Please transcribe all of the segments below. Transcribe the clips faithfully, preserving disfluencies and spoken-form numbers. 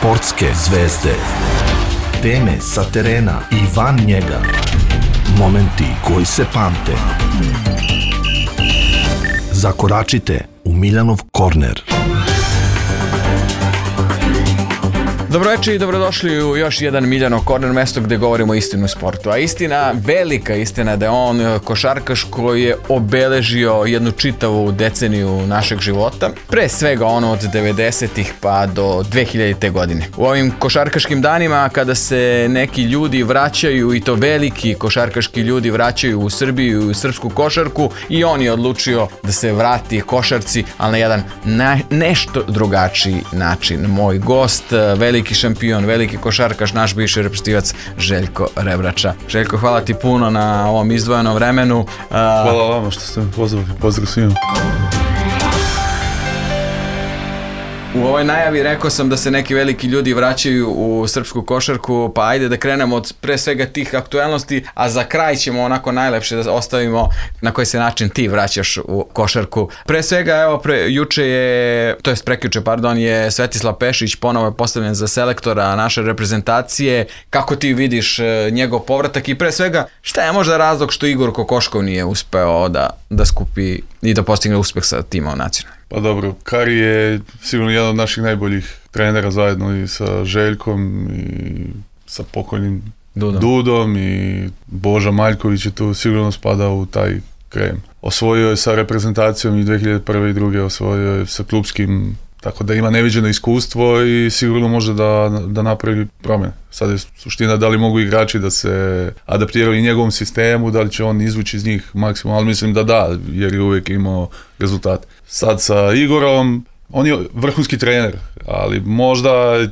Sportske zvezde. Teme sa terena i van njega. Momenti koji se pamte. Zakoračite u Miljanov korner. Dobroveče i dobrodošli u još jedan Miljanov korner, mesto gde govorimo istinu u sportu. A istina, velika istina da je on košarkaš koji je obeležio jednu čitavu deceniju našeg života. Pre svega ono od devedesetih pa do dve hiljadite godine. U ovim košarkaškim danima kada se neki ljudi vraćaju, i to veliki košarkaški ljudi vraćaju u Srbiju i u srpsku košarku, i on je odlučio da se vrati košarci, ali na jedan na, nešto drugačiji način. Moj gost, veliki šampion, veliki košarkaš, naš bivši reprezentativac Željko Rebrača. Željko, hvala ti puno na ovom izdvojenom vremenu. Hvala vama što ste me pozvali. Pozdrav svima. U ovoj najavi rekao sam da se neki veliki ljudi vraćaju u srpsku košarku, pa ajde da krenemo od pre svega tih aktuelnosti, a za kraj ćemo onako najlepše da ostavimo na koji se način ti vraćaš u košarku. Pre svega, evo, pre, juče je, to jest prekjuče, pardon, je Svetislav Pešić ponovo je postavljen za selektora naše reprezentacije. Kako ti vidiš njegov povratak i pre svega, šta je možda razlog što Igor Kokoškov nije uspeo da, da skupi i da postigne uspeh sa timom nacionalnim? Pa dobro, Kari je sigurno jedan od naših najboljih trenera zajedno i sa Željkom i sa pokojnim Dudom, Dudom i Boža Maljković je tu sigurno spada u taj krem. Osvojio je sa reprezentacijom i dve hiljade prve i druge osvojio je sa klupskim, tako da ima neviđeno iskustvo i sigurno može da, da napravi promjene. Sad je suština da li mogu igrači da se adaptiraju i njegovom sistemu, da li će on izvući iz njih maksimum, ali mislim da da, jer je uvijek imao rezultat. Sad sa Igorom, on je vrhunski trener, ali možda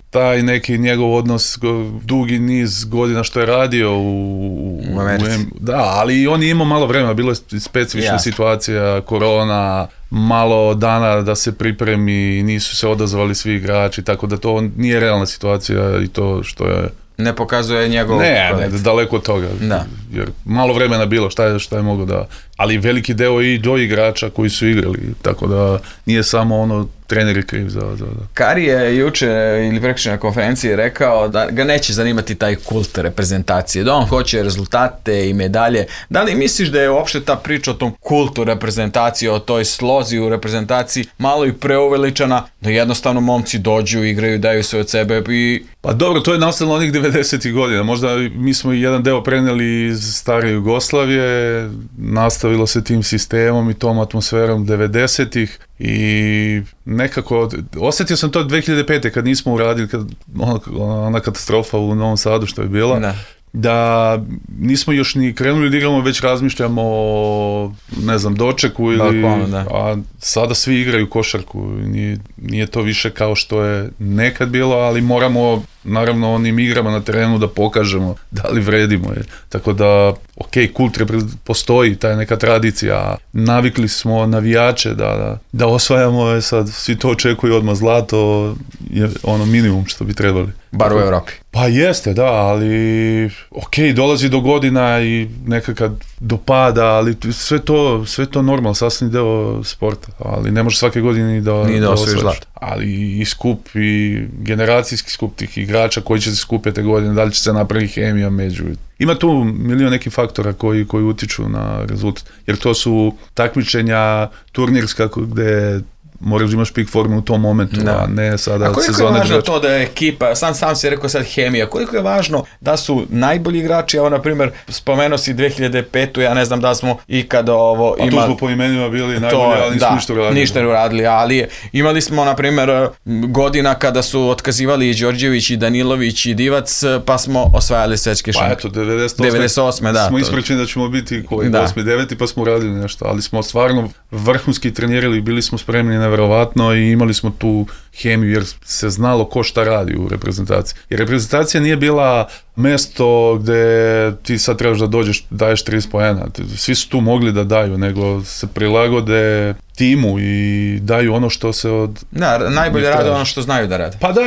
taj neki njegov odnos, dugi niz godina što je radio u, u Americi. U, da, ali on je imao malo vremena, bilo je specifična yes. situacija, korona, malo dana da se pripremi, nisu se odazvali svi igrači, tako da to nije realna situacija i to što je... Ne pokazuje njegov... Ne, ne, daleko od toga, da. Jer malo vremena bilo, šta je, šta je mogo da... Ali veliki deo i do igrača koji su igrali, tako da nije samo ono trener je kriv za... za, za. Kari je juče ili prekjuče na konferenciji rekao da ga neće zanimati taj kult reprezentacije, da on hoće rezultate i medalje. Da li misliš da je uopšte ta priča o tom kultu reprezentacije, o toj slozi u reprezentaciji malo i preuveličana, da jednostavno momci dođu, igraju, daju se od sebe i... Pa dobro, to je nastavno onih devedesetih godina. Možda mi smo i jedan deo preneli iz stare Jugoslavije, nastavilo se tim sistemom i tom atmosferom devedesetih i nekako, osjetio sam to dve hiljade pete kad nismo uradili, kad, ona, ona katastrofa u Novom Sadu što je bila, da. da nismo još ni krenuli da igramo, već razmišljamo o, ne znam, dočeku ili, Balkonu, a sada svi igraju košarku, nije, nije to više kao što je nekad bilo, ali moramo naravno onim igrama na terenu da pokažemo da li vredimo je. Tako da, ok, kult postoji, ta je neka tradicija, navikli smo navijače da, da, da osvajamo, je sad svi to očekuju odmah, zlato je ono minimum što bi trebali. Bar u Evropi. Pa jeste, da, ali ok, dolazi do godina i nekakad do pada, ali sve to, sve to normalno, sasvim deo sporta, ali ne može svake godine da, Nije da, da osvojiš zlato. Ali i skup, i generacijski skup tih igrača koji će se skupiti godine, da li će se napraviti hemija među. Ima tu milion nekih faktora koji, koji utiču na rezultat, jer to su takmičenja turnirska gde moraš da imaš pik formu u tom momentu, da. a ne sada a sezone. A koliko je važno to da je ekipa, sam sam si rekao sad hemija, koliko je važno da su najbolji igrači, evo na primjer spomenuo si dve hiljade pete, ja ne znam da smo ikada ovo imali. A tu smo po imenima bili najbolji, ali nismo da, ništa uradili. ništa uradili, ali imali smo na primjer godina kada su otkazivali i Đorđević i Danilović i Divac, pa smo osvajali svetske šampione. Pa eto, devedeset osme, devedeset osme da. Smo ispričani da ćemo biti koji osmi deveti pa smo uradili nešto, ali smo stvarno vrhunski trenirali, bili smo spremni na verovatno i imali smo tu hemiju jer se znalo ko šta radi u reprezentaciji. Jer reprezentacija nije bila mesto gde ti sad trebaš da dođeš, daješ trideset poena. Svi su tu mogli da daju, nego se prilagode timu i daju ono što se od... Da, najbolje rade ono što znaju da rade. Pa da,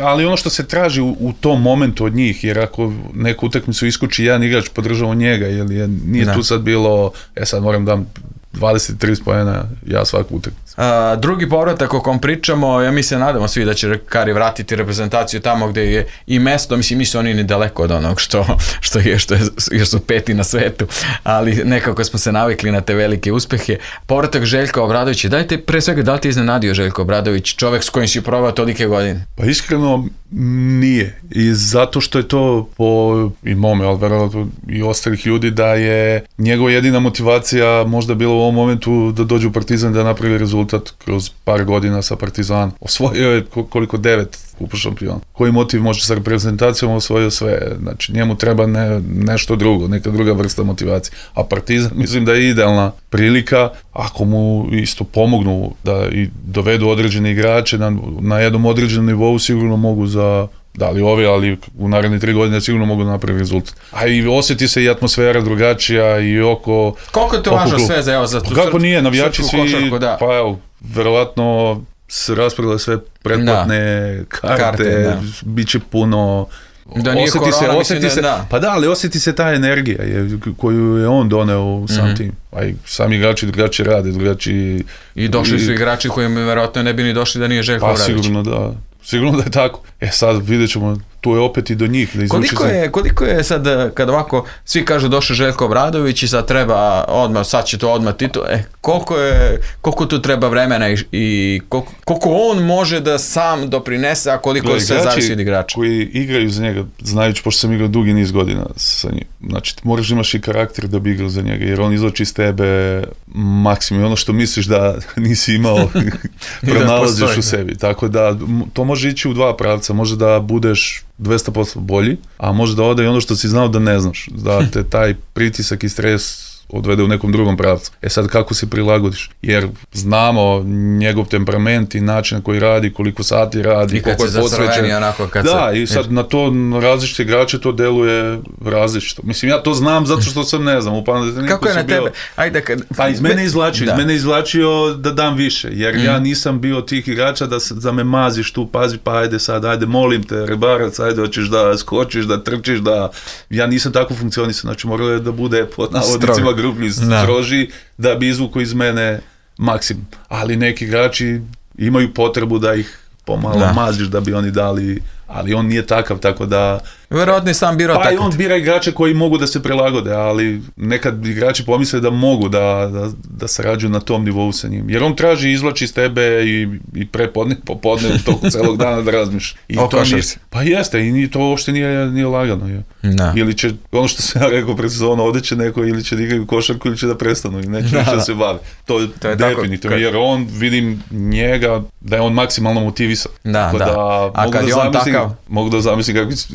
ali ono što se traži u, u tom momentu od njih, jer ako neku utakmicu iskuči jedan igrač, podržava njega, jer je, nije da. Tu sad bilo, e sad moram dam dvadeset tri poena, ja svaku utakmicu. Uh, drugi povratak o kom pričamo, ja mi se nadamo svi da će Kari vratiti reprezentaciju tamo gde je i mesto, mislim nisu oni ni daleko od onog što, što je, što je, jer su peti na svetu, ali nekako smo se navikli na te velike uspehe. Povratak Željka Obradovića, dajte pre svega, da li ti iznenadio Željko Obradović, čovek s kojim si probao tolike godine? Pa iskreno nije, i zato što je to po i mome, ali verovatno i ostalih ljudi, da je njegova jedina motivacija možda bila u ovom momentu da dođe u Partizan, da napravi rezultat kroz par godina sa Partizanom. Osvojio je koliko devet kupa šampiona. Koji motiv može sa reprezentacijom, osvojio sve. Znači njemu treba ne, nešto drugo, neka druga vrsta motivacije. A Partizan mislim da je idealna prilika, ako mu isto pomognu da i dovedu određene igrače na, na jednom određenom nivou, sigurno mogu za da li ovi, ali u naredne tri godine sigurno mogu napraviti rezultat. A i osjeti se i atmosfera drugačija i oko... Koliko je to važno sve za, evo, za tu kako nije, navijači svi, košarku, da. Pa evo, verovatno se raspravile sve pretplatne da. karte, karte bit će puno... Da nije osjeti korona, se, osjeti da, se, da. Pa da, ali osjeti se ta energija je, koju je on doneo u sam mm-hmm. tim. A i sami igrači drugačije rade, drugačije... I došli i, su igrači koji mi verovatno ne bi ni došli da nije Željko pa, Obradović. Pa sigurno da. Sigurno da je tako. E sad vidjet ćemo, tu je opet i do njih. Da koliko, je, koliko je sad, kad ovako svi kažu došao Željko Obradović i sad treba odmah, sad će to odmah titul, e, koliko, je, koliko tu treba vremena i, i koliko, koliko on može da sam doprinese, a koliko da, sve zavisi od igrača? Koji igraju za njega, znajući, pošto sam igrao dugi niz godina sa njim, znači moraš imaš i karakter da bi igrao za njega, jer on izlači iz tebe maksimum, ono što misliš da nisi imao pronalaziš u sebi, tako da to može ići u dva pravca, može da budeš dvesta posto bolji, a može da ode i ono što si znao da ne znaš, da te taj pritisak i stres odvede u nekom drugom pravcu. E sad kako se prilagodiš? Jer znamo njegov temperament i način na koji radi, koliko sati radi, i koliko je posvećen. Onako kad da, se... i sad na to na različite igrače to deluje različito. Mislim, ja to znam zato što sam ne znam. Upam, kako je na bio... tebe? Ajde, kad... Pa iz mene izvlačio, da. iz mene izvlačio da dam više, jer mm. ja nisam bio tih igrača da, da me maziš tu, pazi, pa ajde sad, ajde, molim te, rebarac, ajde, hoćeš da skočiš, da trčiš, da... Ja nisam tako funkcionisao, znači moralo je da bude pod navodnicima grublji, stroži, da bi izvuku iz mene maksimum. Ali neki igrači imaju potrebu da ih pomalo da. maziš da bi oni dali, ali on nije takav, tako da... Verovatno sam birao pa tako. Pa i on bira igrače koji mogu da se prilagode, ali nekad igrači pomisle da mogu da, da, da sarađuju na tom nivou sa njim. Jer on traži, izvlači iz tebe i, i prepodne, popodne tog celog dana da razmiš. I to nije, pa jeste, i to uopšte nije, nije lagano. Je. Da. Ili će, ono što sam ja rekao pred sezonom, ode će neko ili će da igraju košarku ili će da prestanu i neće da, da se bave. To, to je definitivno, jer on, vidim njega, da je on maksimalno motivisan. Da, da. da. A kad da je on takav? Mogu da zamislim kakvi su,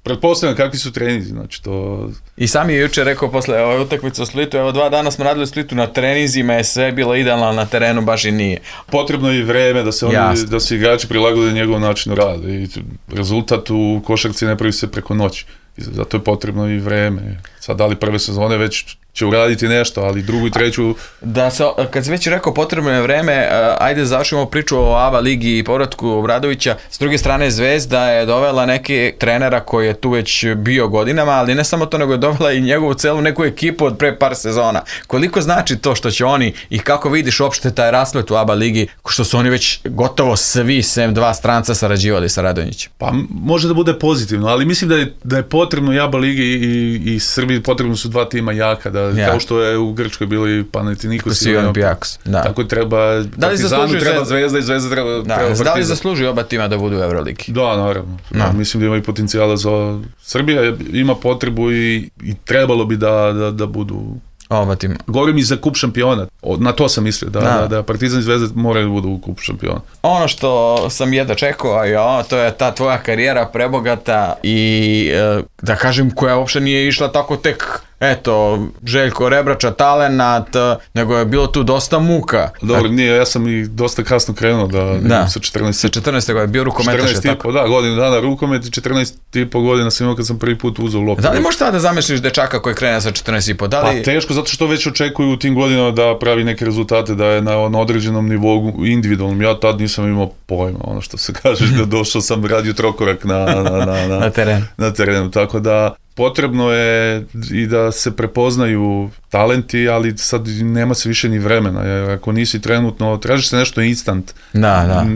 pretpostavljam kakvi su treninzi, znači to... I sam je jučer rekao posle ove utakmice u Splitu, evo dva dana smo radili u Splitu na treninzima, je sve bilo idealno, na terenu baš i nije. Potrebno je i vreme da se oni, da se igrači prilagode njegov načinu rada i rezultat u košarci ne pravi se preko noći. I zato je potrebno i vreme. Sad da li prve sezone već će uraditi nešto, ali drugu i treću... Da se, kad si već rekao potrebno je vreme, ajde završimo priču o A B A ligi i povratku Obradovića. S druge strane Zvezda je dovela neke trenera koji je tu već bio godinama, ali ne samo to, nego je dovela i njegovu celu neku ekipu od pre par sezona. Koliko znači to što će oni i kako vidiš uopšte taj rasplet u A B A ligi, što su oni već gotovo svi sem dva stranca sarađivali sa Radonjićem? Pa može da bude pozitivno, ali mislim da je, da je potrebno i A B A ligi i, i Srbiji potrebno su dva tima jaka, da ja. Kao što je u Grčkoj bili Panathinaikos i Olympiakos. Da. Tako treba Partizanu, treba Zvezda i Zvezda treba, da. treba Partizan. Da li zaslužuju oba tima da budu u Euroligi? Da, naravno. Ja, mislim da imaju potencijala za... Srbija ima potrebu i, i trebalo bi da, da, da budu... Oba tima. Govorim i za kup šampiona. Na to sam mislio, da, da. da Partizan i Zvezda moraju da budu u kupu šampiona. Ono što sam jedva čekao, jo, to je ta tvoja karijera prebogata i da kažem koja uopšte nije išla tako tek, eto, Željko Rebrača, talenat, nego je bilo tu dosta muka. Dobro, nije, ja sam i dosta kasno krenuo da, da. sa četrnaest. Sa četrnaeste godine, bio rukometaš, je tako? Da, godinu dana rukomet i četrnaest i po godina sam imao kad sam prvi put uzeo loptu. Da li možeš tada zamisliš dečaka koji krene sa četrnaest i po? Da li... Pa teško, zato što već očekuju u tim godinama da pravi neke rezultate, da je na, na određenom nivou individualnom. Ja tad nisam imao pojma, ono što se kaže, da došao sam radio trokorak na, na, na, na, na terenu. Na terenu, tako da potrebno je i da se prepoznaju talenti, ali sad nema se više ni vremena, jer ako nisi trenutno, traži se nešto instant. Da, da.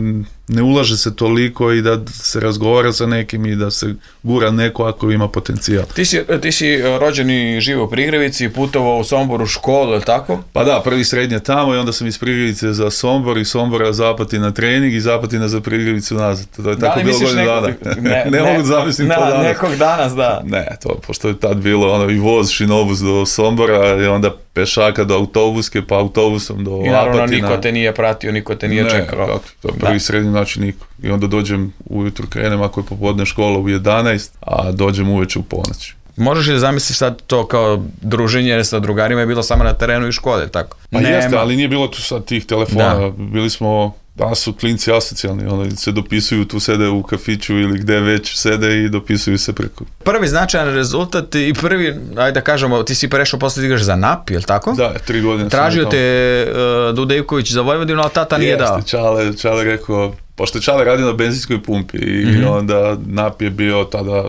Ne ulaže se toliko i da se razgovara sa nekim i da se gura neko ako ima potencijal. Ti si, ti si rođen i živo u Prigrevici, putovao u Sombor u školu, je li tako? Pa da, prvi srednje tamo i onda sam iz Prigrevice za Sombor i Sombora za Apatina trening i Apatina za Prigrevicu nazad. To je tako bilo godinu dana. Ne, ne, ne mogu zamisliti to danas. Nekog danas, da. Ne, to, pošto je tad bilo ono, i voz šinobus do Sombora i onda pešaka do autobuske, pa autobusom do Apatina. I naravno Apatina. Niko te nije pratio, niko te nije ne, čekao. Kako, to je prvi da. Srednji način niko. I onda dođem ujutru, krenem ako je popodne škola u jedanaest, a dođem uveče u ponoć. Možeš li zamisliti sad to kao druženje sa drugarima je bilo samo na terenu i škole, tako? Pa Nema. Jeste, ali nije bilo tu sad tih telefona, da. Bili smo... Danas su klinci asocijalni, oni se dopisuju, tu sede u kafiću ili gde već sede i dopisuju se preko. Prvi značajan rezultat i prvi, ajde da kažemo, ti si prešao posle da igraš za N A P, je li tako? Da, tri godine. Tražio te uh, Dudejković za Vojvodinu, ali tata nije dao. Jeste, Čale, Čale rekao, pošto je Čale radio na benzinskoj pumpi i mm-hmm. onda N A P je bio tada,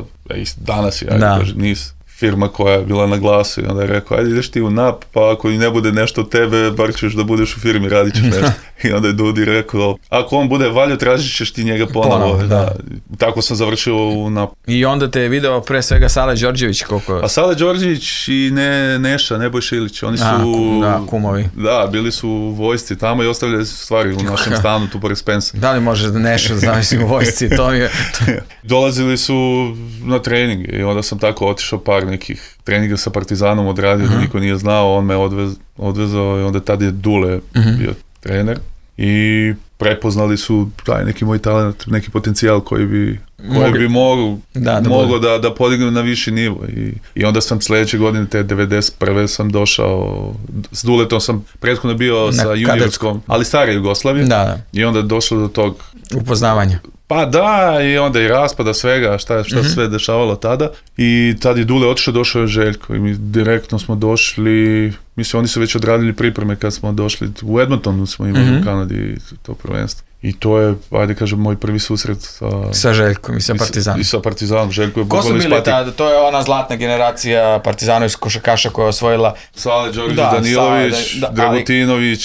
danas je, ajde da. Kaže, nis. Firma koja je bila na glasu i onda je rekao, ajde ideš ti u N A P, pa ako i ne bude nešto od tebe, bar ćeš da budeš u firmi, radit ćeš nešto. I onda je Dudi rekao, ako on bude valjo, tražit ćeš ti njega ponovo. ponovo da. Da. Tako sam završio u N A P. I onda te je video pre svega Sale Đorđević, koliko... A Sale Đorđević i ne, Neša, Nebojša Ilić, oni su... A, da, kumovi. Da, bili su u vojsci tamo i ostavljali stvari u našem stanu, tu pored Spensa. Da li može da Neša, zamislim, u vojsci, to mi je... Dolazili su na trening i onda sam tako otišao par nekih treninga sa Partizanom odradio, uh-huh. da niko nije znao, on me odvez, odvezao i onda tad je Dule uh-huh. bio trener i prepoznali su taj neki moj talent, neki potencijal koji bi, koji bi mogu, da, da, mogo da, da podignem na viši nivo i, i onda sam sledeće godine, te devedeset prve sam došao, s Duletom sam prethodno bio na sa juniorskom, ali stare Jugoslavije da, da. I onda je došlo do tog upoznavanja. Pa da, i onda i raspada svega, šta, šta mm-hmm. sve dešavalo tada. I tad je Dule otišao, došao je Željko i mi direktno smo došli, mislim oni su već odradili pripreme kad smo došli, u Edmontonu smo imali mm-hmm. u Kanadi to prvenstvo. I to je, ajde kažem, moj prvi susret sa... Sa Željkom i sa Partizanom. I sa Partizanom, Željko je bukvalno ispati. Ko su bili tada? To je ona zlatna generacija Partizana iz košarkaša koja je osvojila... Sale Đorđe da, Danilović, Sale, da, Dragutinović,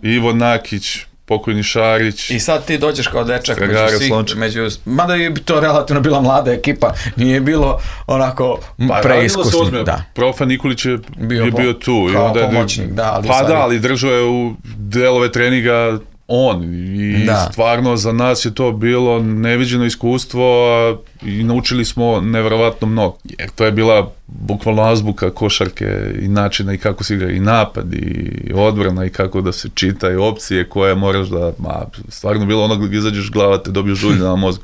ali... Ivo Nakić, pokojni Šarić. I sad ti dođeš kao dečak među svih, među, mada je to relativno bila mlada ekipa, nije bilo onako pa, preiskusni. Da. Profa Nikolić je bio, je bio tu. Kao i onda pomoćnik, da. Ali pa da, ali držao je u delove treninga on i da. Stvarno za nas je to bilo neviđeno iskustvo i naučili smo neverovatno mnogo. Jer to je bila bukvalno azbuka košarke i načina i kako se igra i napad i odbrana i kako da se čita i opcije koje moraš da, ma, stvarno bilo ono gdje izađeš glava te dobiješ žulj na mozgu.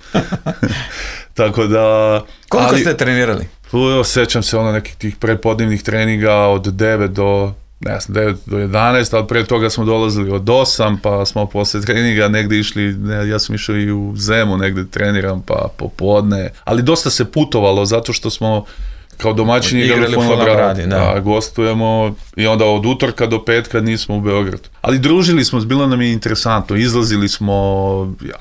Tako da... Koliko ali, ste trenirali? Sećam se ono nekih tih predpodnevnih treninga od devet do... ne znam, devet do jedanaest, ali pre toga smo dolazili od osam, pa smo posle treninga negde išli, ne, ja sam išao i u Zemu, negde treniram, pa popodne, ali dosta se putovalo, zato što smo kao domaćini igrali u Fonogradu, da. Da, gostujemo i onda od utorka do petka nismo u Beogradu. Ali družili smo, bilo nam je interesantno, izlazili smo,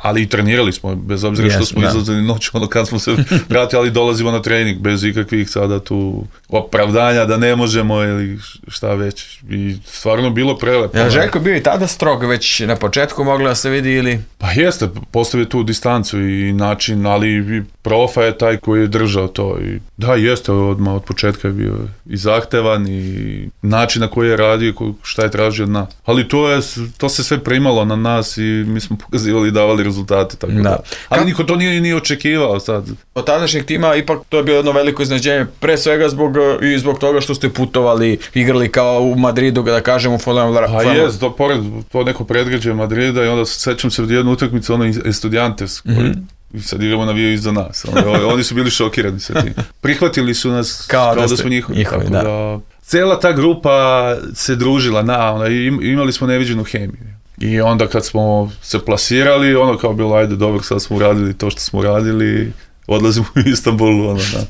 ali i trenirali smo, bez obzira yes, što smo da. Izlazili noću, ono kad smo se vratili, ali dolazimo na trening, bez ikakvih sada tu opravdanja da ne možemo ili šta već. I stvarno bilo prelepo. Ja, Željko bio i tada strog, već na početku mogla da se vidi ili... Pa jeste, postavio tu distancu i način, ali Profa je taj koji je držao to. I da, jeste, odmah od početka je bio i zahtevan i način na koji je radio, šta je tražio od nas. Ali to, je, to se sve primalo na nas i mi smo pokazivali i davali rezultate. Tako da. Da. Ali Ka... niko to nije ni očekivao sad. Od tadašnjeg tima ipak to je bilo jedno veliko iznenađenje, pre svega zbog, i zbog toga što ste putovali, igrali kao u Madridu, da kažem u Fonogradu. A jes, to, pored to neko predgrađe Madrida i onda sećam se od jednu utakmicu, ono Estudiantes, koji mm-hmm. i sad igramo navijaju iza nas. Oni, oni su bili šokirani sa tim. Prihvatili su nas kao, kao da, da smo njihovi. njihovi tako da. Da, cela ta grupa se družila, na, ona, imali smo neviđenu hemiju. I onda kad smo se plasirali, ono kao bilo, ajde dobro, sad smo uradili to što smo uradili, odlazimo u Istanbulu, ono, da.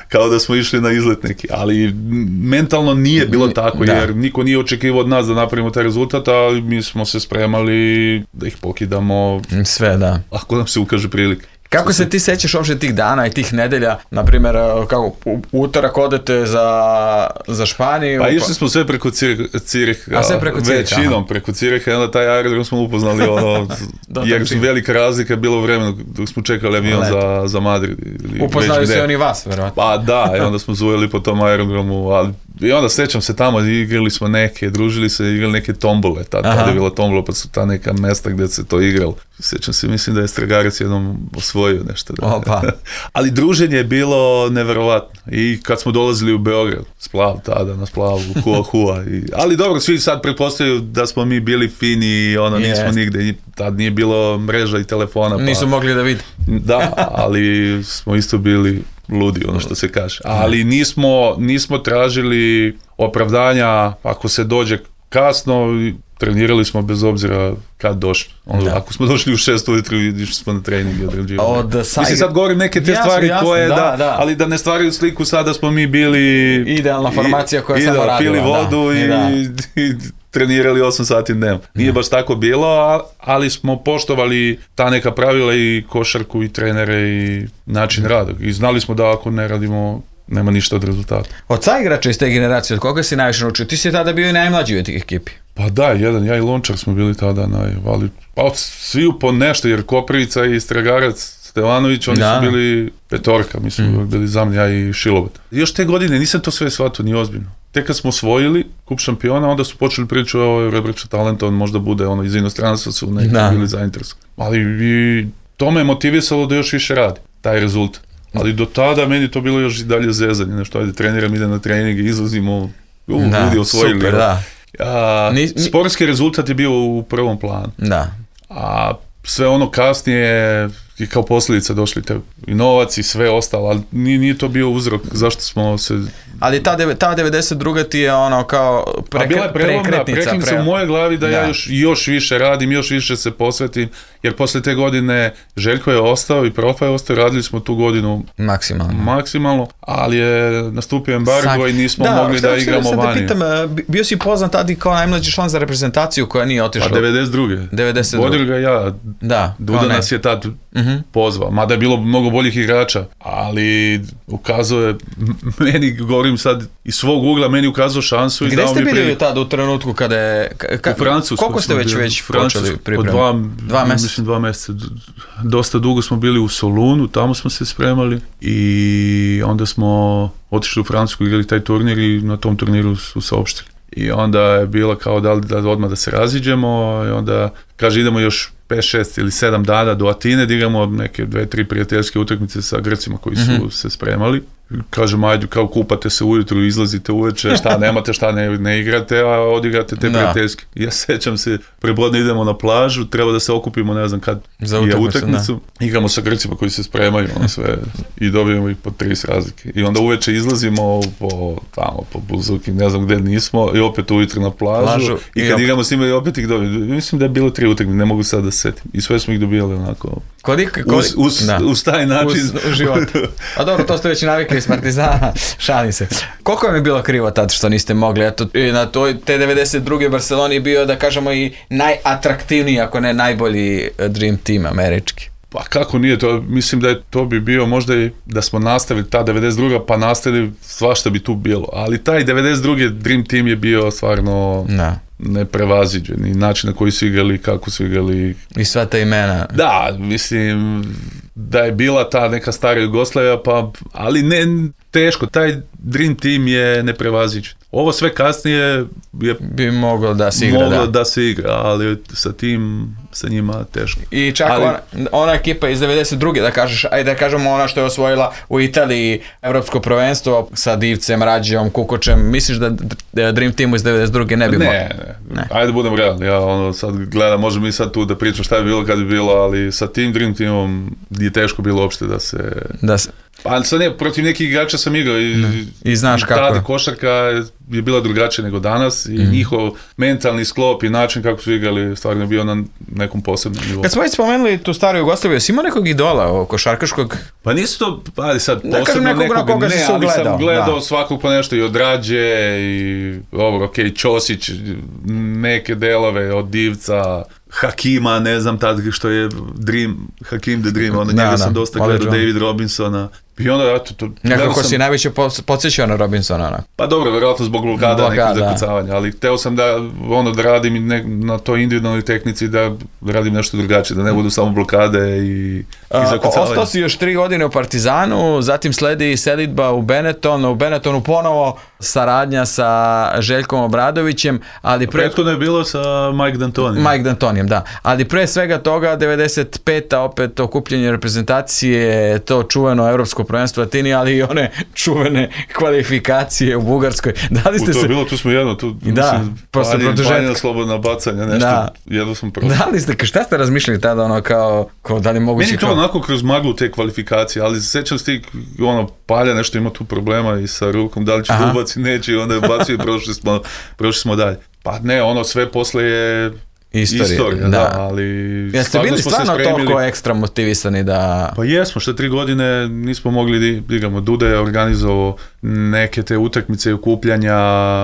Kao da smo išli na izlet neki, ali mentalno nije bilo tako, da. Jer niko nije očekivao od nas da napravimo taj rezultat, ali mi smo se spremali da ih pokidamo sve, da. Ako nam se ukaže prilike. Kako se ti sećaš uopšte tih dana i tih nedelja, na primjer, kako u utorak odete za, za Španiju? Pa išli smo sve preko Ciriha, a sve preko Ciriha, većinom preko Ciriha, i onda taj aerodrom smo upoznali, ono, jer su velika razlika bilo u vremenu dok smo čekali avion za, za Madrid. Upoznali su oni vas, verovatno. Pa da, i onda smo zujeli po tom aerodromu, ali i onda sećam se tamo, igrali smo neke, družili se, igrali neke tombole, tada tad je bila tombola, pa su ta neka mesta gdje se to igralo. Sećam se, mislim da je Stragarac jednom osvojio nešto. Da. Opa. Ali druženje je bilo neverovatno. I kad smo dolazili u Beograd, Splav tada, na Splavu, Hua Hua. I, ali dobro, svi sad pretpostavljaju da smo mi bili fini i ono, nismo yes. nigde, tad nije bilo mreža i telefona. Pa, nisu mogli da vidi. Da, ali smo isto bili ludi, ono što se kaže. Ali nismo, nismo tražili opravdanja ako se dođe kasno, trenirali smo bez obzira kad došli. Ono, ako smo došli u šest ujutru, išli smo na trening i odrađivali. Mislim, sad govorim neke te jasno, stvari jasno, koje, da, da, da. ali da ne stvaraju sliku sada smo mi bili... Idealna formacija koja i, samo radila. Pili vodu da, i, da. i, i trenirali osam sati dnevno. Nije baš tako bilo, ali smo poštovali ta neka pravila i košarku i trenere i način rada. I znali smo da ako ne radimo, nema ništa od rezultata. Od sa igrača iz te generacije, od koga si najviše naučio? Ti si tada bio i najmlađi u tih ekipi. Pa da, jedan, ja i Lončar smo bili tada najvali. Pa svi po nešto, jer Koprivica i Stragarac, Stevanović, oni da. su bili petorka, mi smo mm. bili za mne, ja i Šilovat. Još te godine nisam to sve shvatio, ni ozbiljno. Tek kad smo osvojili kup šampiona, onda su počeli pričati o Rebrača talenta, on možda bude ono iz inostranstva su neki da. bili zainteresovani. Ali i to me motivisalo da još više radi, taj rezultat. Ali do tada meni to bilo još i dalje zezanje, nešto, ajde treniram, ide na trening, izlazimo, u, da, ljudi osvojili. Super, da. A, ni, ni... Sportski rezultat je bio u prvom planu. Da. A sve ono kasnije i kao posljedica došli te i novac i sve ostalo, ali nije, nije to bio uzrok zašto smo se... Ali ta, ta devedeset druga ti je ono kao prek, bila je prelomna, prekretnica pre... u moje glavi da, da ja još, još više radim, još više se posvetim, jer posle te godine Željko je ostao i Profa je ostao, radili smo tu godinu maksimalno, maksimalno ali je nastupio embargo Sak... i nismo da, mogli da igramo vani. Pitam, bio si poznat tada kao najmlađi član za reprezentaciju koja nije otišla? Pa devedeset druge devedeset druge Vodio ga ja, da, Duda nas je tad uh-huh. pozvao, mada je bilo mnogo boljih igrača, ali ukazuje, meni govorim sad iz svog ugla, meni ukazao šansu i gde dao mi priliku. Gde ste bili priliku. tada u trenutku kada je... Ka, u Francusku. Koliko ste već, već počeli pripremati? Dva, dva mjeseca? Mislim dva mjeseca. Dosta dugo smo bili u Solunu, tamo smo se spremali i onda smo otišli u Francusku, igrali taj turnir i na tom turniru su saopštili. I onda je bila kao da li da odmah da se raziđemo i onda kaže idemo još pet, šest ili sedam dana do Atine da igramo neke dve, tri prijateljske utakmice sa Grcima koji su mm-hmm. se spremali. Kažem, ajde, kao kupate se ujutru, izlazite uveče, šta nemate, šta ne, ne igrate, a odigrate te prijateljske. Ja sećam se, prebodne idemo na plažu, treba da se okupimo, ne znam kad za je utakmicu. Igramo sa Grcima koji se spremaju, ono sve, i dobijemo i po trideset razlike. I onda uveče izlazimo po, tamo, po Buzuki, ne znam gde nismo, i opet ujutru na plažu. plažu I kad i igramo s njima, i opet ih dobijemo. Mislim da je bilo tri utakmice, ne mogu sad da se setim. I sve smo ih dobijali onako, kodik, kodik, uz, uz, uz taj način. Uz, uz život. A dobro, to ste već navikli iz Partizana, šalim se. Koliko vam je bilo krivo tad što niste mogli? Eto, na toj, te devedeset druge Barceloni bio, da kažemo, i najatraktivniji, ako ne najbolji Dream Team američki. Pa kako nije to, mislim da je to bi bio možda i da smo nastavili ta devedeset druga pa nastavili, svašta bi tu bilo, ali taj devedeset druge Dream Team je bio stvarno da. neprevaziđen i način na koji su igrali, kako su igrali. I sva ta imena. Da, mislim da je bila ta neka stara Jugoslavija, pa, ali ne teško, taj Dream Team je neprevaziđen. Ovo sve kasnije je bi moglo da se igra, moglo da. da se igra, ali sa tim, sa njima teško. I čak ali, ona, ona ekipa iz devedeset druge da kažeš, ajde da kažemo ona što je osvojila u Italiji evropsko prvenstvo sa Divcem, Rađijom, Kukočem, misliš da Dream Teamu iz devedeset druge ne bi moglo? Ne, ne, ne. Ajde budem realni, ja ono sad gledam, možemo mi sad tu da pričam šta je bilo kad je bilo, ali sa tim Dream Teamom je teško bilo uopšte da se... Da se... Pa sad ne, protiv nekih igrača sam igrao i, I znaš i kako. Tada košarka je bila drugačija nego danas i mm. njihov mentalni sklop i način kako su igrali stvarno je bio na nekom posebnom nivou. Kad smo već spomenuli tu staru Jugoslaviju, si imao nekog idola košarkaškog? Pa nisu to, pa sad ne posebno nekog, nekog, koga ne, ali gledao, sam gledao da. svakog po nešto i od Rađe i ovo, ok, Ćosić, neke delove od Divca, Hakima, ne znam tad što je Dream, Hakim the Dream, ono, njega sam dosta gledao, David Robinsona. I onda, eto, to... Nekako sam, si najveće podsjećao na Robinsona, onak. Pa dobro, vjerojatno zbog blokada, nekih zakucavanja, ali hteo sam da, ono, da radim ne, na toj individualnoj tehnici, da radim nešto drugačije, da ne budu samo blokade i, i zakucavanja. Ostao si još tri godine u Partizanu, zatim sledi selidba u Benetton, u Benettonu ponovo saradnja sa Željkom Obradovićem, ali pre... Prethodno je bilo sa Mike D'Antonijem. Mike D'Antonijem, da. Ali pre svega toga, devedeset peta opet okupljenje reprezentacije, to čuveno evropsko prvenstvo Atini, ali i one čuvene kvalifikacije u Bugarskoj. Da li ste u, to se... je bilo, tu smo jedno, tu da, mislim, panjena slobodna bacanja, nešto, da. Jedno smo prošli. Da li ste, šta ste razmišljali tada, ono, kao, kao da li moguće... Meni to kao... onako kroz maglu te kvalifikacije, ali sećam se ti, ono, Palja nešto ima tu problema i sa rukom, da li će da ubaci, neće, i onda je ubacio i prošli smo, prošli smo dalje. Pa ne, ono, sve posle je... Istorija, Istorija da. da, ali... Jeste bili stvarno toliko ekstra motivisani da... Pa jesmo, što tri godine nismo mogli da igramo. Duda je organizovao neke te utakmice i okupljanja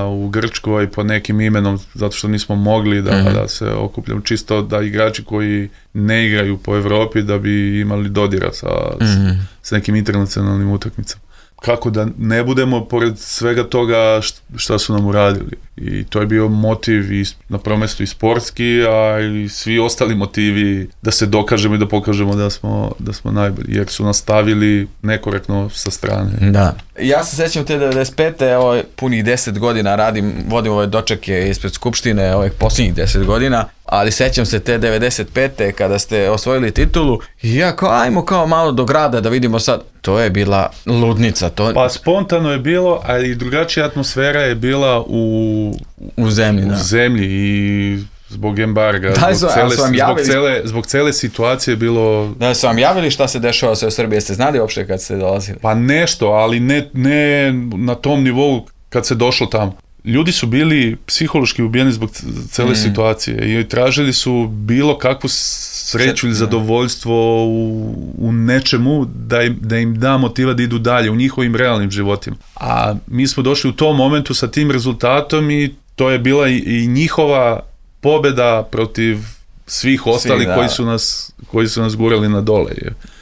u Grčkoj pod nekim imenom, zato što nismo mogli da, mm-hmm. da se okupljamo. Čisto da igrači koji ne igraju po Evropi da bi imali dodira sa, mm-hmm. s, s nekim internacionalnim utakmicama. Kako da ne budemo pored svega toga šta su nam uradili. I to je bio motiv i na prvom mjestu i sportski, a i svi ostali motivi da se dokažemo i da pokažemo da smo, da smo najbolji, jer su nas stavili nekorektno sa strane. Da. Ja se sećam te devedeset pete, evo punih deset godina radim, vodim ove dočeke ispred Skupštine, ovih posljednjih deset godina, ali sećam se te devedeset pete kada ste osvojili titulu i ja kao, ajmo kao malo do grada da vidimo sad. To je bila ludnica. To... Pa spontano je bilo, ali drugačija atmosfera je bila u, u zemlji, u da. zemlji i zbog embarga, da, zbog, cele, zbog, cele, zbog cele situacije bilo... Da su vam javili šta se dešava sve u Srbiji, jeste znali uopšte kad ste dolazili? Pa nešto, ali ne, ne na tom nivou kad se došlo tamo. Ljudi su bili psihološki ubijeni zbog cele mm. situacije i tražili su bilo kakvu sreću ili zadovoljstvo u, u nečemu da im, da im da motiva da idu dalje u njihovim realnim životima. A mi smo došli u tom momentu sa tim rezultatom i to je bila i, i njihova pobjeda protiv svih ostalih Svi, koji su nas koji su nas gurali na dole.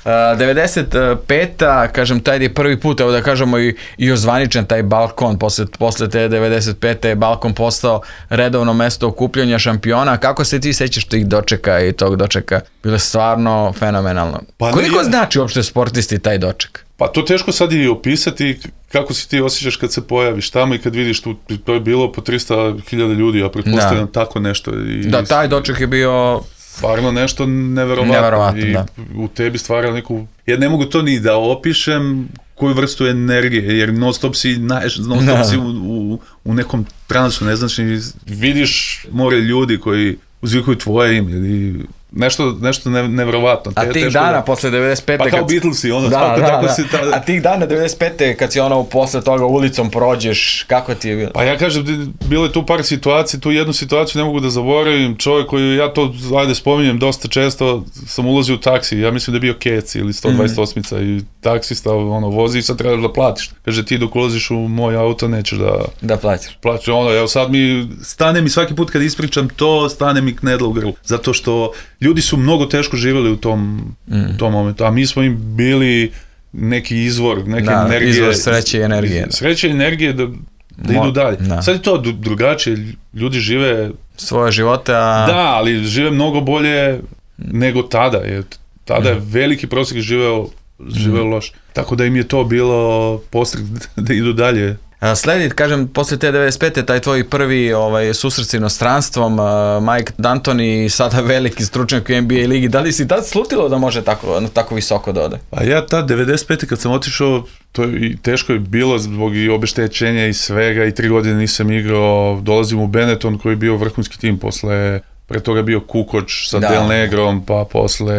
Uh, devedeset peta kažem, taj je prvi put, evo da kažemo i, i ozvaničen taj balkon, posle, posle te devedeset pete je balkon postao redovno mesto okupljanja šampiona. Kako se ti sećaš tih dočeka i tog dočeka? Bilo je stvarno fenomenalno. Pa koliko ne, znači uopšte sportisti taj doček? Pa to teško sad i opisati kako si ti osjećaš kad se pojaviš tamo i kad vidiš tu, to je bilo po tristo hiljada ljudi, ja pretpostavljam da. Tako nešto. I, da, taj doček je bio... Stvarno nešto neverovatno, neverovatno i da. U tebi stvara neku... Ja ne mogu to ni da opišem koju vrstu energije, jer non stop si, naješ, non stop si u, u, u nekom transu, ne znaš, vidiš more ljudi koji uzvikuju tvoje ime ili nešto, nešto ne, neverovatno. A tih dana da... posle devedeset pete... Pa kao Beatlesi, ono, da, tako, da, tako da. si... Ta... A tih dana devedeset pete kad si ono posle toga ulicom prođeš, kako ti je bilo? Pa ja kažem, bilo je tu par situacija, tu jednu situaciju ne mogu da zaboravim, čovjek koji, ja to, ajde spominjem dosta često, sam ulazio u taksi, ja mislim da je bio Kec ili sto dvadeset osam mm. i taksista ono, vozi i sad trebaš da platiš. Kaže, ti dok ulaziš u moj auto nećeš da... Da platiš. Plaćaš, ono, evo sad mi, stane mi svaki put kad ispričam to, stane mi knedla u grlu, zato što ljudi su mnogo teško živjeli u tom, mm. tom momentu, a mi smo im bili neki izvor, neke da, energije. Izvor sreće i energije. Sreće i energije da, da Mo, idu dalje. Da. Sad je to drugačije, ljudi žive... Svoje živote, a... Da, ali žive mnogo bolje nego tada. Jer tada mm. je veliki prosjek živeo, živeo mm. loš. Tako da im je to bilo postrek da idu dalje. Sledi, kažem, posle te devedeset pete taj tvoj prvi ovaj, susret s inostranstvom, uh, Mike D'Antoni, sada veliki stručnjak u N B A ligi, da li si tad slutilo da može tako, tako visoko da ode? A ja tad devedeset pete kad sam otišao, to je, teško je bilo zbog i obeštećenja i svega i tri godine nisam igrao, dolazim u Benetton koji je bio vrhunski tim posle... Pre toga bio Kukoč sa da. Del Negrom, pa posle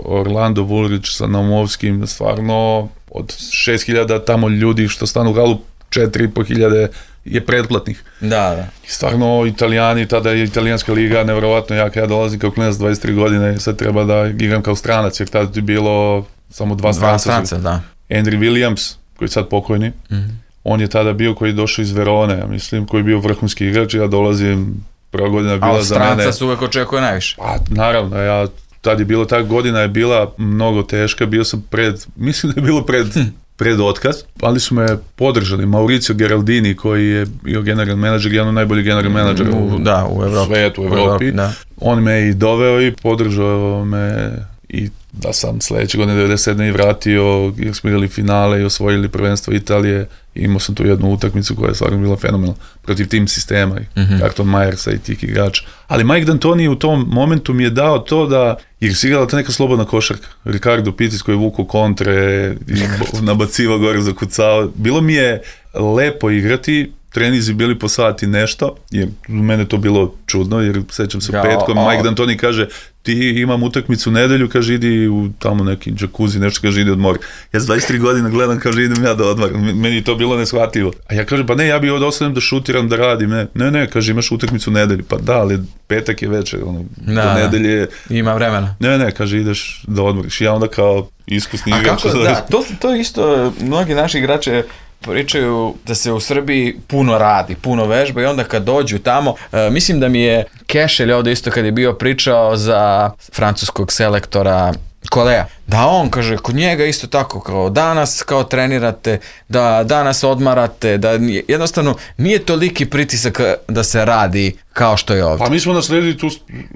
Orlando Woolridge sa Naumovskim, stvarno od šest hiljada tamo ljudi što stanu u halu, četiri i po hiljade je pretplatnih. Da, da. I stvarno Italijani, tada je italijanska liga nevjerovatno jaka, ja dolazim kao klinac dvadeset tri godine, sad treba da igram kao stranac, jer tada je bilo samo dva stranca. Dva stranca, da. Andrew Williams, koji je sad pokojni, mm-hmm. on je tada bio koji je došao iz Verone, ja mislim, koji je bio vrhunski igrač, ja dolazim prva godina je bila a za mene... A od stranca se uvek očekuje najviše. Pa naravno, ja tad je bilo, ta godina je bila mnogo teška, bio sam pred, mislim da je bilo pred... Hm. pred otkaz, ali su me podržali. Mauricio Geraldini, koji je bio general menadžer, jedan od najboljih general menadžera u, da, u Evropi. Svetu, u Evropi. Da. On me i doveo i podržao me i da sam sledeće godine devedeset sedme i vratio, jer smo igrali finale i osvojili prvenstvo Italije. Imao sam tu jednu utakmicu koja je stvarno bila fenomenalna protiv tim sistema i mm-hmm. Carlton Myersa i tih igrača. Ali Mike D'Antoni u tom momentu mi je dao to da, jer si igrala ta neka slobodna košarka. Ricardo Pitis koji je vuko kontre i nabacivao gore, zakucao. Bilo mi je lepo igrati, trenizi bili po sati nešto, jer mene to bilo čudno, jer sećam se ja, petkom, o, Mike D'Antoni kaže, ti imam utakmicu u nedelju, kaže, idi u tamo neki džakuzi, nešto, kaže, idi odmori. Ja za dvadeset tri godina gledam, kaže, idem ja da odmorim. Meni je to bilo neshvatljivo. A ja kažem, pa ne, ja bi ovdje ostanem da šutiram, da radim. Ne, ne, ne, kaže, imaš utakmicu u nedelju. Pa da, ali petak je večer, ono, da, do nedelje. Ima vremena. Ne, ne, kaže, ideš da odmoriš. Ja onda kao iskusni igrač. Da, to, to isto, mnogi naši igrače pričaju da se u Srbiji puno radi, puno vežba i onda kad dođu tamo, e, mislim da mi je Kešelj ovdje isto kad je bio pričao za francuskog selektora Kolea, da on kaže, kod njega isto tako, kao danas kao trenirate, da danas odmarate, da jednostavno nije toliki pritisak da se radi kao što je ovdje. Pa mi smo nasledili tu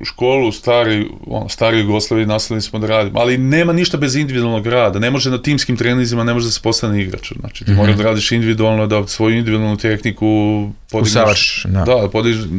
školu stari, ono, stari Jugoslaviji, nasledili smo da radimo, ali nema ništa bez individualnog rada, ne može na timskim trenizima, ne može da se postane igrač, znači ti mm-hmm. moraš da radiš individualno, da svoju individualnu tehniku podigneš, da, da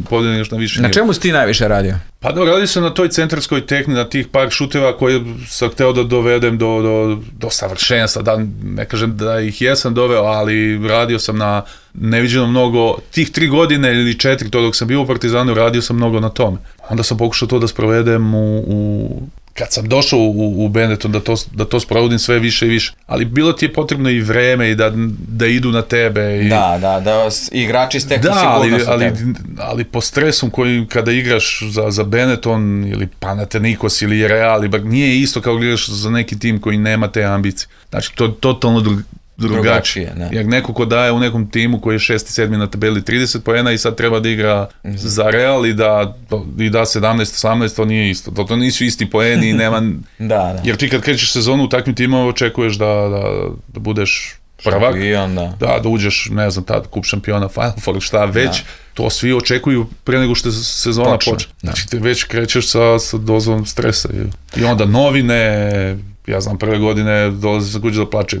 podigneš na više nivo. Na čemu si ti najviše radio? Pa da, radi se na toj centarskoj tehnici, na tih par šuteva koje sam hteo da dovedem do, do, do savršenstva, da ne kažem da ih jesam doveo, ali radio sam na neviđeno mnogo, tih tri godine ili četiri, to dok sam bio u Partizanu, radio sam mnogo na tome. Onda sam pokušao to da sprovedem u, u kad sam došao u, u Benetton, da to, da to sprovodim sve više i više. Ali bilo ti je potrebno i vreme i da, da idu na tebe. I... Da, da, da igrači steknu sigurnost ali, ali, ali po stresom koji kada igraš za, za Benetton ili Panathinaikos ili Real, nije isto kao igraš za neki tim koji nema te ambicije. Znači, to je totalno drug, drugačije. Jer neko ko daje u nekom timu koji je šesti, sedmi na tabeli trideset poena i sad treba da igra mm-hmm. za Real i da, i da sedamnaest, osamnaest, to nije isto. To, to nisu isti poeni i nema... da, da. Jer ti kad krećeš sezonu u takvim timama očekuješ da, da, da budeš prvak, šampion, da. da, da uđeš, ne znam, tad kup šampiona, Final Four, šta već, da. To svi očekuju pre nego što sezona počne. počne. Znači ti već krećeš sa, sa dozom stresa i, i onda novine... Ja znam, prve godine dolaze sa kuće da plačem.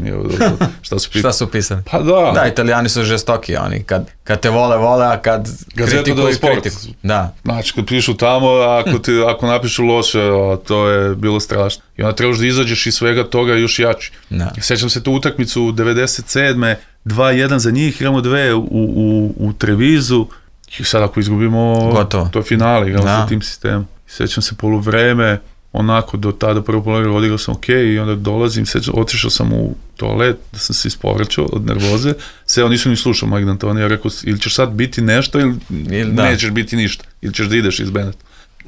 Šta su, šta su pisani? Pa da. Da, Italijani su žestoki, oni kad, kad te vole, vole, a kad kritikuju, kritiku. Da. Znači, kad pišu tamo, ako, ti, ako napišu loše, to je bilo strašno. I onda trebaš da izađeš iz svega toga još jači. Da. Sećam se tu utakmicu devedeset sedme dva jedan za njih, igramo dve u, u, u Trevizu i sad ako izgubimo, gotovo. To je finale, igramo sa tim sistemom. Sećam se poluvreme, onako do tada prvo polovreme odigrao sam ok i onda dolazim, otišao sam u toalet da sam se ispovraćao od nervoze, sve on nisu ni slušao Mike D'Antoni, ja rekao ili ćeš sad biti nešto ili, ili nećeš biti ništa, ili ćeš da ideš iz Beneta.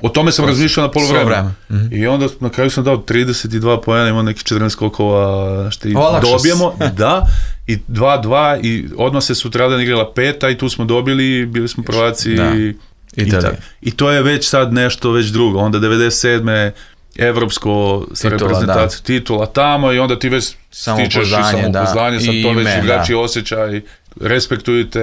O tome sam razmišljao na polovreme. Mm-hmm. I onda na kraju sam dao trideset dva poena, imao neki četrnaest skokova, što i dobijemo, da, i dva dva i odmah se sutradan igrala peta i tu smo dobili, bili smo prvaci da. i, i, i to je već sad nešto već drugo. Onda devedeset sedme evropsko sa reprezentacijom titula tamo i onda ti već stičeš i samopouzdanje, da. Sam to već igrači osjećaj, respektujete,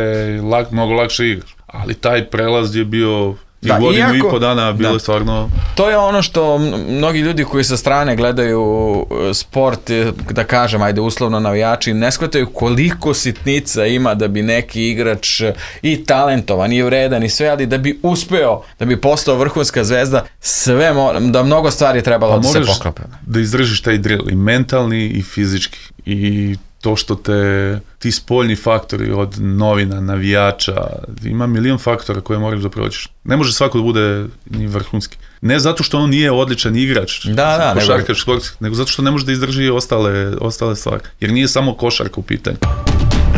lak, mnogo lakše igraš. Ali taj prelaz je bio i da, godinu iako, i po dana bilo da, stvarno... To je ono što mnogi ljudi koji sa strane gledaju sport, da kažem, ajde uslovno navijači, ne shvataju koliko sitnica ima da bi neki igrač i talentovan, i vredan i sve, ali da bi uspeo, da bi postao vrhunska zvezda, sve, da mnogo stvari trebalo pa da se poklope. Da izdržiš taj drill, i mentalni i fizički, i to što te, ti spoljni faktori od novina, navijača, ima milion faktora koje moraš da prođeš. Ne može svako da bude ni vrhunski. Ne zato što on nije odličan igrač, da, da, košarkaš, nego... nego zato što ne može da izdrži ostale, ostale stvari. Jer nije samo košarka u pitanju.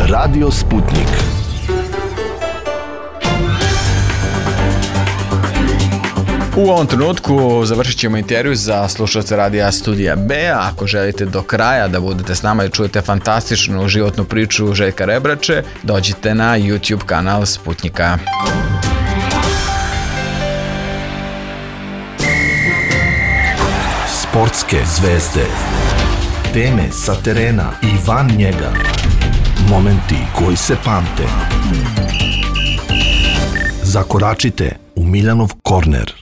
Radio Sputnik. U ovom trenutku završit ćemo intervju za slušalce Radija Studija B. Ako želite do kraja da budete s nama i čujete fantastičnu životnu priču Željka Rebrače, dođite na YouTube kanal Sputnika. Sportske zvezde. Teme sa terena i van njega. Momenti koji se pamte. Zakoračite u Miljanov korner.